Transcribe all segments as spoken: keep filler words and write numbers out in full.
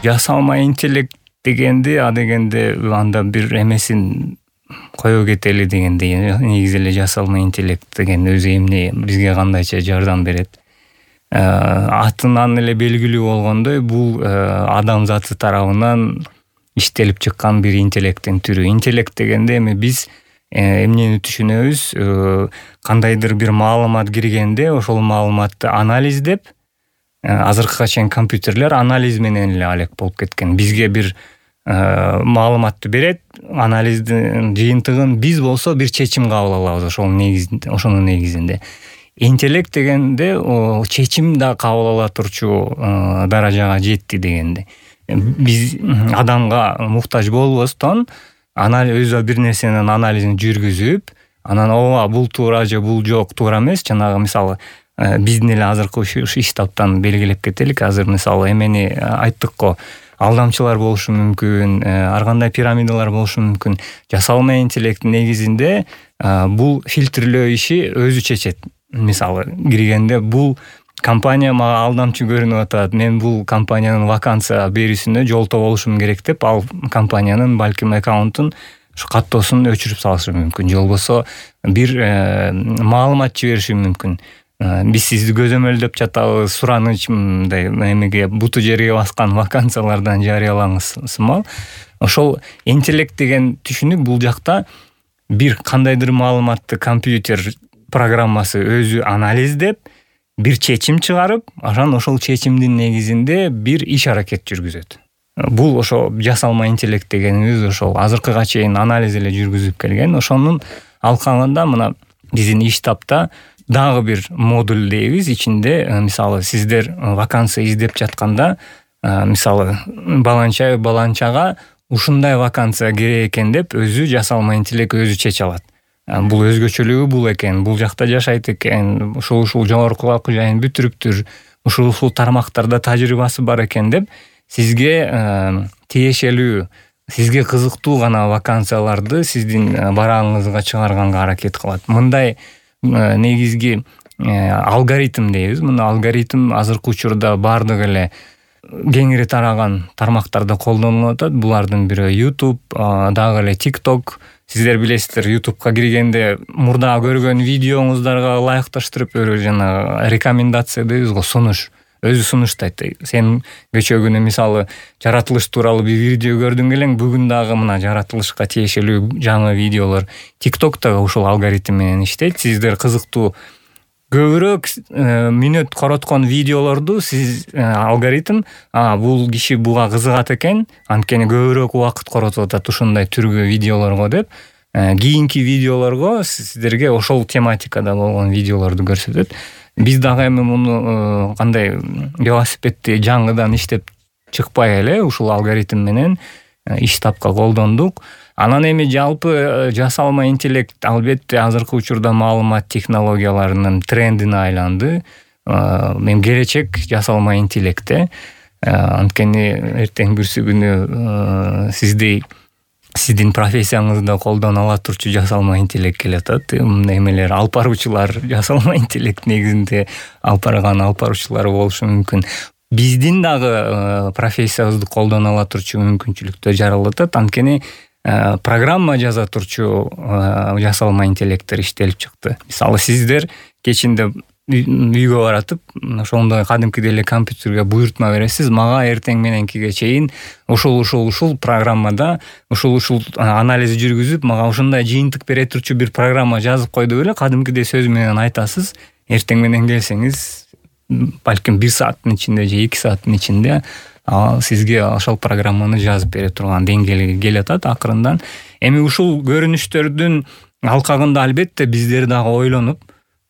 Жасалма интеллект дегенде а дегенде анда бир эмесин кое кетели дегенде негизи эле жасалма интеллект деген өзү эмне бизге кандайча жардам берет. Атынан эле белгилүү болгондой бул адамзаты тарабынан иштелип чыккан бир интеллекттин түрү. Интеллект дегенде эми биз эмнени түшүнөбүз? Кандайдыр бир маалымат киргенде ошол маалыматты анализдеп, азыркыга чейин компьютерлер анализ менен эле алек болуп кеткен. Бизге бир маалыматты берет, анализдин жыйынтыгын биз болсо бир чечим кабыл алабыз ошол негизинде, ошонун негизинде. Интеллект дегенде чечим да кабыл ала турчу даражага жетти дегенде. Биз адамга муктаж болбостон өзү бир нерсенин анализин жүргүзүп, анан ооба бул туура же бул жок, туура эмес, жанагы мисалы биздин эле азыркы иш таптан белгилеп кетелик. Азыр мисалы эмени айттык го, алдамчылар болушу мүмкүн, ар кандай пирамидалар болушу мүмкүн. Жасалма интеллекттин негизинде бул фильтрлөө иши өзү чечет. Мисалы киргенде бул компания мага алдамчы көрүнүп атат, мен бул компаниянын вакансия берүүсүнө жолто болушум керек деп, ал компаниянын балким аккаунтун ушу каттоосун өчүрүп салышы мүмкүн, же болбосо бир маалымат жибериши мүмкүн. Биз сизди көзөмөлдөп жатабыз, сураныч мындай эмеге буту жерге баскан вакансиялардан жарыялаңыз сымал. Ошол интеллект деген түшүнүк бул жакта бир кандайдыр маалыматты компьютер программасы өзү анализдеп, бир чечим чыгарып, анан ошол чечимдин негизинде бир иш аракет жүргүзөт. Бул ошо жасалма интеллект дегенибиз ошол азыркыга чейин анализ эле жүргүзүп келген. Ошонун алкагында мына биздин иш тапта дагы бир модуль дейбиз. Ичинде мисалы сиздер вакансия издеп жатканда, мисалы баланча баланчага ушундай вакансия керек экен деп өзү жасалма интеллект өзү чече алат. Бул өзгөчөлүгү бул экен, бул жакта жашайт экен, ушул ушул жогорку окуу жайын бүтүрүптүр, ушул ушул тармактарда тажрыйбасы бар экен деп сизге тиешелүү, сизге кызыктуу гана вакансияларды сиздин барагыңызга чыгарганга аракет кылат. Мындай негизги алгоритм дейбиз. Мына алгоритм азыркы учурда бардык эле кеңири тараган тармактарда колдонулуп атат. Булардын бири YouTube, дагы эле TikTok. Сиздер билесиздер, YouTube'га киргенде мурда көргөн видеоңуздарга ылайыкташтырып өрө жана рекомендация дейбиз го, сунуш. Өзү сунуштайт. Сен кечөө мисалы жаратылыш тууралуу бир видео көрдүң элең, бүгүн дагы мына жаратылышка тиешелүү жаңы видеолор TikTok'та ушул алгоритм менен иштейт. Сиздер кызыктуу көбүрөөк мүнөт короткон видеолорду сиз алгоритм, а бул киши буга кызыгат экен, анткени көбүрөөк убакыт коротуп атат ушундай түргө видеолорго деп, кийинки видеолорго сиздерге ошол тематикада болгон видеолорду көрсөтөт. Биз дагы эми муну кандай велосипедти жаңыдан иштеп чыкпай эле ушул алгоритм менен иш тапка колдондук. Анан эми жалпы жасалма интеллект албетте азыркы учурда маалымат технологияларынын трендине айланды. Мен келечек жасалма интеллектте. Анткени эртең бүрсү күнү сиздей сиздин профессияңызда колдоно ала турчу жасалма интеллект келатат. Эмелер алып баруучулар жасалма интеллект негизинде алып барган алып баруучулар болушу мүмкүн. Биздин дагы профессиябызды колдоно ала турчу мүмкүнчүлүктөр жаралып атат. Анткени программа жаза турчу жасалма интеллекттер иштелип чыкты. Мисалы сиздер кечинде үйгө баратып, ошондой кадимкидей эле компьютерге буйртма бересиз, мага эртең мененкиге чейин ушул ушул ушул программада ушул ушул анализ жүргүзүп, мага ушундай жыйынтык бере турчу бир программа жазып кой деп эле кадимкидей сөз менен айтасыз. Эртең менен келсеңиз, балким бир сааттын ичинде же эки сааттын ичинде ал сизге ошол программаны жазып бере турган деңгээлге келатат акырындан. Эми ушул көрүнүштөрдүн алкагында албетте биздер дагы ойлонуп,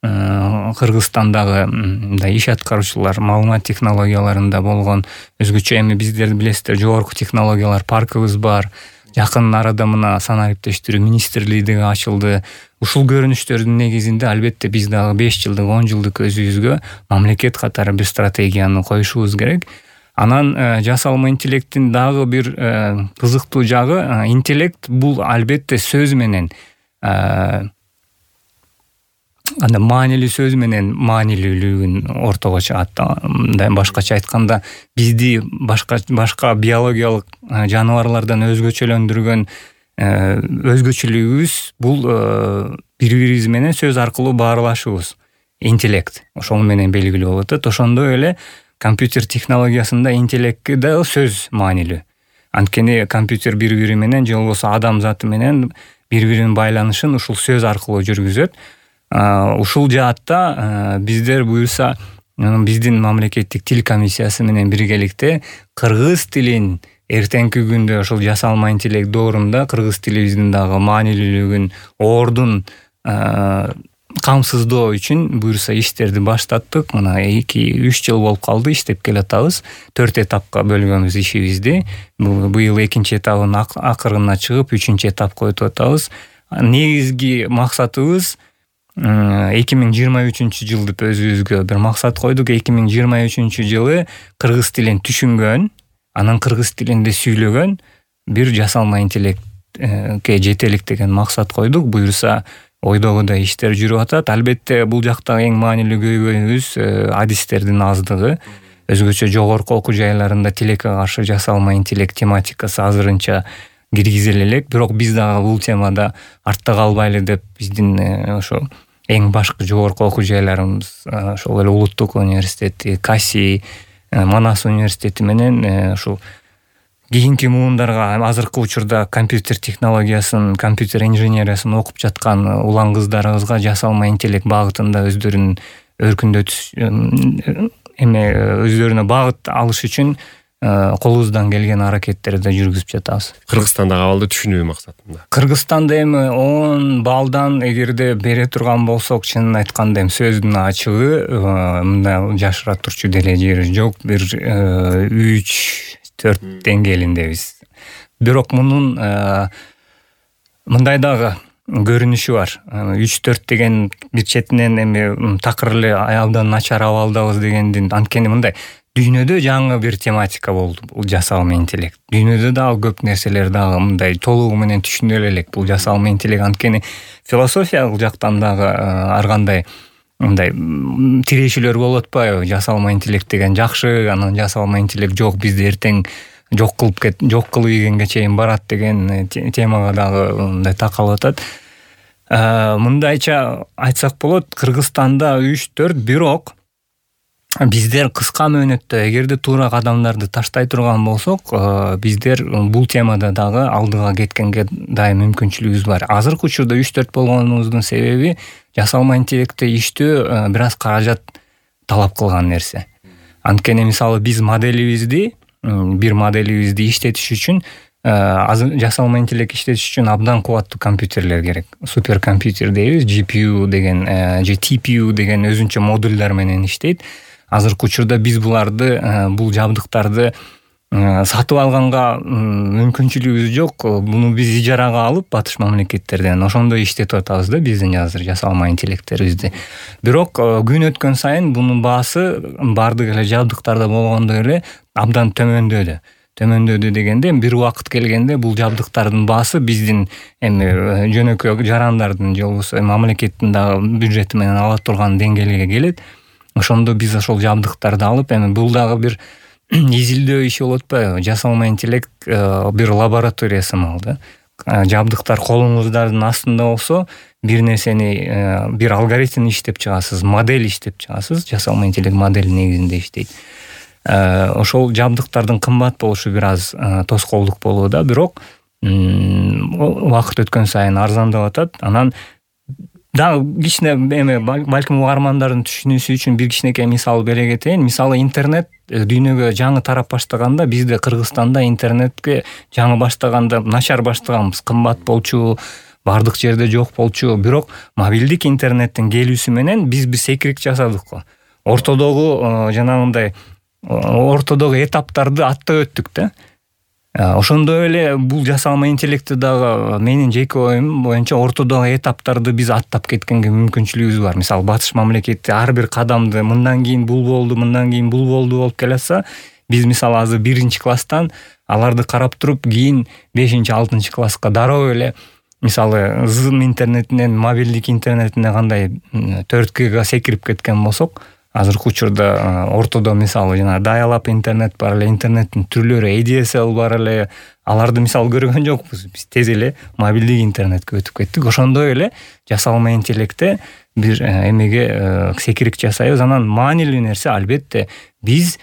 Кыргызстандагы мындай иш аткаруучулар маалымат технологияларында болгон өзгөчө эми биздер билесиздер жогорку технологиялар паркыбыз бар. Жакын арада мына санариптештирүү министрлиги ачылды. Ушул көрүнүштөрдүн негизинде албетте биз дагы беш жылдык, он жылдык өзүбүзгө мамлекет катары бир стратегияны коюшубуз керек. Анан жасалма интеллекттин дагы бир кызыктуу жагы, интеллект бул албетте сөз менен анда маанилүү сөз менен маанилүүлүгүн ортого чыгат. Мындай башкача айтканда, бизди башка башка биологиялык жаныбарлардан өзгөчөлөндүргөн өзгөчөлүгүбүз бул бири-бирибиз менен сөз аркылуу баарлашуубуз, интеллект. Ошол менен белгилүү болуп атат. Ошондой эле компьютер технологиясында интеллектке дагы сөз маанилүү. Анткени компьютер бири-бири менен же болбосо адам заты менен бири-биринин байланышын ушул сөз аркылуу жүргүзөт. Ушул жаатта биздер буюрса биздин мамлекеттик тил комиссиясы менен биргеликте кыргыз тилин эртеңки күндө ошол жасалма интеллект доорунда кыргыз тилибиздин дагы маанилүүлүгүн, ордун камсыздоо үчүн буюрса иштерди баштаттык. Мына эки үч жыл болуп калды, иштеп келатабыз. төрт этапка бөлгөнбүз ишибизди. Быйыл экинчи этабын акырына чыгып, үчүнчү этапка өтүп атабыз. Негизги максатыбыз эки миң жыйырма үчүнчү жыл деп өзүбүзгө бир максат койдук. эки миң жыйырма үчүнчү жылы кыргыз тилин түшүнгөн, анан кыргыз тилинде сүйлөгөн бир жасалма интеллектке жетелик деген максат койдук. Буюрса ойдогудай иштер жүрүп атат. Албетте бул жакта эң маанилүү көйгөйүбүз адистердин аздыгы. Өзгөчө жогорку окуу жайларында тилекке каршы жасалма интеллект тематикасы азырынча киргизиле элек. Бирок биз дагы бул темада артта калбайлы деп биздин ошо эң башкы жогорку окуу жайларыбыз, ошол эле Улуттук университети, Каси, Манас университети менен ушул кийинки муундарга азыркы учурда компьютер технологиясын, компьютер инженериясын окуп жаткан улан кыздарыбызга жасалма интеллект багытында өздөрүн өркүндөтүш эме өздөрүнө багыт алыш үчүн колубуздан келген аракеттерди жүргүзүп жатабыз. Кыргызстандагы абалды түшүнүү максатында. Кыргызстанда эми он балдан эгерде бере турган болсок, чынын айтканда эми сөздүн ачыгы мындай жашыра турчу деле жери жок. Бир үч төрт деңгээлиндебиз. Бирок мунун мындай дагы көрүнүшү бар. үч төрт деген бир четинен эми такыр эле абдан начар абалдабыз дегендин, анткени мындай дүйнөдө жаңы бир тематика болду бул жасалма интеллект. Дүйнөдө дагы көп нерселер дагы мындай толугу менен түшүнөлө элек бул жасалма интеллект. Анткени философиялык жактан дагы ар кандай мындай тирешүүлөр болуп атпайбы? Жасалма интеллект деген жакшы, анан жасалма интеллект жок, бизди эртең жок кылып кет, жок кылып ийгенге чейин барат деген темага дагы мындай такалып атат. Мындайча айтсак болот, Кыргызстанда үч төрт, бирок биздер кыска мөөнөттө эгерде туура кадамдарды таштай турган болсок, биздер бул темада дагы алдыга кеткенге дайым мүмкүнчүлүгүбүз бар. Азыркы учурда үч төрт болгонубуздун себеби жасалма интеллектте иштөө бир аз каражат талап кылган нерсе. Анткени мисалы биз моделибизди, бир моделибизди иштетиш үчүн жасалма интеллект иштетиш үчүн абдан кубаттуу компьютерлер керек. Суперкомпьютер дейбиз, джи пи ю деген же ти пи ю деген өзүнчө модулдар менен иштейт. Азыркы учурда биз буларды, бул жабдыктарды сатып алганга мүмкүнчүлүгүбүз жок. Буну биз ижарага алып батыш мамлекеттерден ошондой иштетип атабыз да биздин азыр жасалма интеллекттерибизди. Бирок күн өткөн сайын бунун баасы бардык эле жабдыктарда болгондой эле абдан төмөндөдү. Төмөндөдү дегенде бир убакыт келгенде бул жабдыктардын баасы биздин эми жөнөкөй жарандардын же болбосо мамлекеттин дагы бюджети менен ала турган деңгээлге келет. Ошондо биз ошол жабдыктарды алып, эми бул дагы бир изилдөө иши болуп атпайбы? Жасалма интеллект бир лаборатория сымал да. Жабдыктар колуңуздардын астында болсо, бир нерсени, бир алгоритм иштеп чыгасыз, модель иштеп чыгасыз, жасалма интеллект модель негизинде иштейт. Ошол жабдыктардын кымбат болушу бир аз тоскоолдук болууда, бирок убакыт өткөн сайын арзандап атат. Анан дагы кичине эме балким угармандардын түшүнүүсү үчүн бир кичинекей мисал бере кетейин. Мисалы интернет дүйнөгө жаңы тарап баштаганда, бизде Кыргызстанда интернетке жаңы баштаганда начар баштаганбыз, кымбат болчу, бардык жерде жок болчу. Бирок мобилдик интернеттин келүүсү менен биз бир секирик жасадык го. Ортодогу жанагындай ортодогу этаптарды аттап өттүк да. Ошондой эле бул жасалма интеллектти дагы менин жеке оюм боюнча ортодогу этаптарды биз аттап кеткенге мүмкүнчүлүгүбүз бар. Мисалы батыш мамлекети ар бир кадамды мындан кийин бул болду, мындан кийин бул болду болуп келатса, биз мисалы азыр биринчи класстан аларды карап туруп, кийин бешинчи алтынчы класска дароо эле мисалы зым интернетинен мобилдик интернетине кандай төрт гига секирип кеткен болсок, азыркы учурда ортодо мисалы жана дайалап интернет бар эле, интернеттин түрлөрү эй ди эс эл бар эле. Аларды мисалы көргөн жокпуз. Биз тез эле мобилдик интернетке өтүп кеттик. Ошондой эле жасалма интеллектте бир эмеге секирик жасайбыз. Анан маанилүү нерсе албетте биз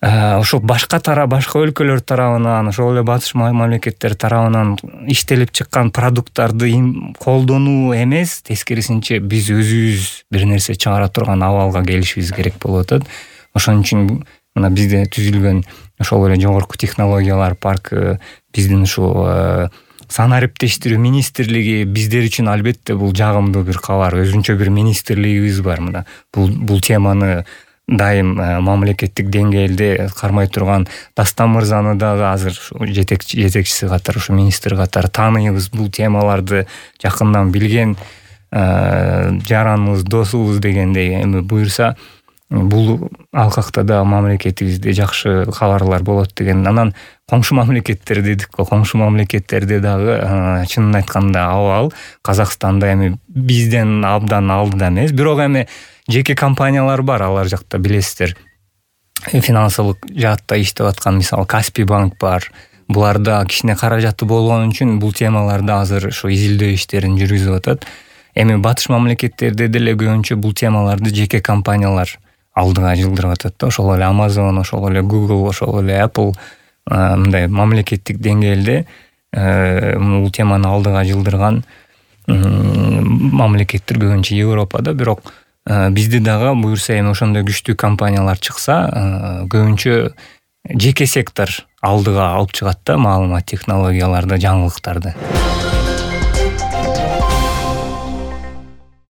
ошол башка тара башка өлкөлөр тарабынан, ошол эле батыш мамлекеттер тарабынан иштелип чыккан продукттарды колдонуу эмес, тескерисинче биз өзүбүз бир нерсе чыгара турган абалга келишибиз керек болуп атат. Ошон үчүн мына бизде түзүлгөн ошол эле жогорку технологиялар паркы, биздин ушул санариптештирүү министрлиги биздер үчүн албетте бул жагымдуу бир кабар. Өзүнчө бир министрлигибиз бар мына. Бул бул теманы дайым мамлекеттик деңгээлде кармай турган Дастан мырзаны дагы азыр жетекчи жетекчиси катары, ушу министр катары тааныйбыз. Бул темаларды жакындан билген жараныбыз, досубуз дегендей. Эми буюрса бул алкакта да мамлекетибизде жакшы кабарлар болот деген. Анан коңшу мамлекеттер дедик го, коңшу мамлекеттерде дагы чынын айтканда абал Казакстанда эми бизден абдан алдыда эмес, бирок эми жеке компаниялар бар алар жакта, билесиздер. Финансылык жаатта иштеп аткан мисалы Каспий банк бар. Буларда кичине каражаты болгон үчүн бул темаларда азыр ушу изилдөө иштерин жүргүзүп атат. Эми батыш мамлекеттерде деле көбүнчө бул темаларды жеке компаниялар алдыга жылдырып атат да. Ошол эле Amazon, ошол эле Google, ошол эле Apple мындай мамлекеттик деңгээлде бул теманы алдыга жылдырган мамлекеттер көбүнчө Европада. Бирок бизде дагы буюрса эми ошондой күчтүү компаниялар чыкса, көбүнчө жеке сектор алдыга алып чыгат да маалымат технологияларды, жаңылыктарды.